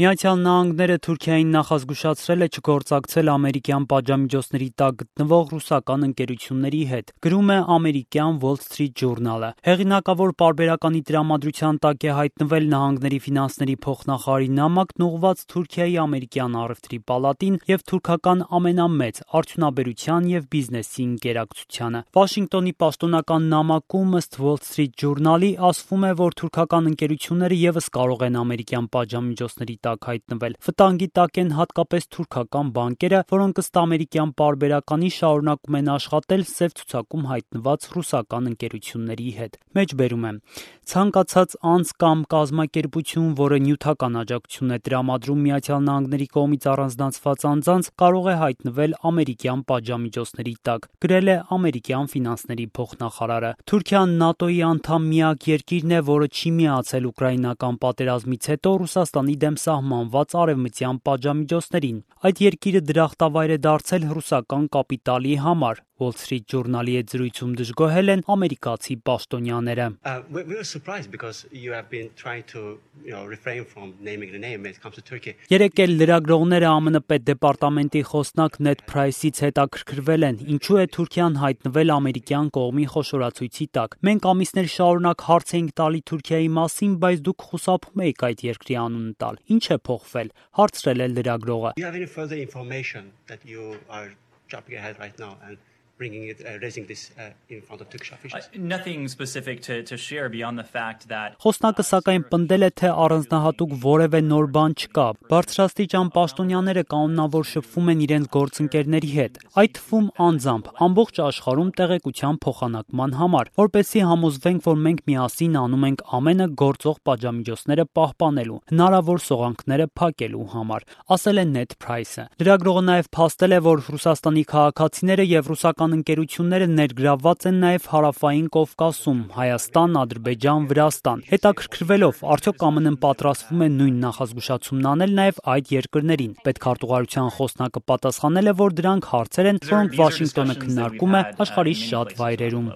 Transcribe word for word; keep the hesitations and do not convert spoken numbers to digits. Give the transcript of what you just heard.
Միացյալ Նահանգները Թուրքիային նախազգուշացրել է չգործակցել ամերիկյան պատժամիջոցների տակ գտնվող ռուսական ընկերությունների հետ, գրում է ամերիկյան Wall Street Journal-ը։ Հեղինակավոր պարբերականի տրամադրության տակ է հայտնվել Նահանգների ֆինանսների փոխնախարարի նամակն ուղղված Թուրքիայի ամերիկյան առևտրի պալատին եւ թուրքական ամենամեծ արդյունաբերության եւ բիզնեսի ընկերակցությանը։ Վաշինգտոնի պաշտոնական նամակում ըստ Wall Street Journal-ի ասվում է, որ թուրքական ընկերությունները եւս կարող են ամերիկյան պատժամիջոցների տակ հայտնվել։ Վտանգի տակ են հատկապես թուրքական բանկերը, որոնք ըստ ամերիկյան պարբերականի շարունակում են աշխատել սև ցուցակում հայտնված ռուսական ընկերությունների հետ։ Մեջբերում է. ցանկացած անձ կամ կազմակերպություն, որը նյութական աջակցություն է տրամադրում Միացյալ Նահանգների կողմից առանձնացված անձանց, կարող է հայտնվել ամերիկյան պատժամիջոցների տակ, գրել է ամերիկյան ֆինանսների փոխնախարարը։ Թուրքիան ՆԱՏՕ-ի անդամ միակ երկիրն է, որը չի միացել ուկրաինական պատերազմից հետո Ռուսաստանի դեմ սահմանված արևմտյան պատժամիջոցներին։ Այդ երկիրը դրախտավայր է դարձել ռուսական կապիտալի համար։ Wall Street Journal-ի հետ զրույցում դժգոհել են ամերիկացի պաշտոնյաները։ Երեկ էլ լրագրողները ԱՄՆ պետդեպարտամենտի խոսնակ Նեդ Փրայսից հետաքրքրվել են, ինչու է Թուրքիան հայտնվել ամերիկյան կողմի խոշորացույցի տակ։ Մենք ամիսներ շարունակ հարց էինք տալի Թուրքիայի մասին, բայց դուք խուսափում եք այդ երկրի անունը տալ։ Ինչ է փոխվել, հարցրել է լրագրողը։ Bringing it, uh, raising this uh, in front of Turkish officials. Uh, nothing specific to, to share beyond the fact that Խոսնակը սակայն պնդել է, թե առանձնահատուկ որևէ նոր բան չկա։ Բարձրաստիճան պաշտոնյաները կանոնավոր շփվում են իրենց գործընկերների հետ, այդ թվում անձամբ, ամբողջ աշխարհում տեղեկության փոխանակման համար, որպեսզի համոզվենք, որ մենք միասին անում ենք ամենը գործող պատժամիջոցները պահպանելու, հնարավոր սողանքները փակելու համար, ասել է Նեդ Փրայսը։ Լրագրողը նաև փաստել է, որ Ռուսաստանի քաղաքացիները եւ ռուսական ընկերությունները ներգրավված են նաև հարավային Կովկասում, Հայաստան, Ադրբեջան, Վրաստան։ Հետաքրքրվելով, արդյոք ԱՄՆ-ն պատրաստվում է նույն նախազգուշացումն անել նաև այդ երկրներին։ Պետքարտուղարության խոսնակը պատասխանել է, որ դրանք հարցեր են, որոնք Վաշինգտոնը քննարկում է աշխարհի շատ վայրերում։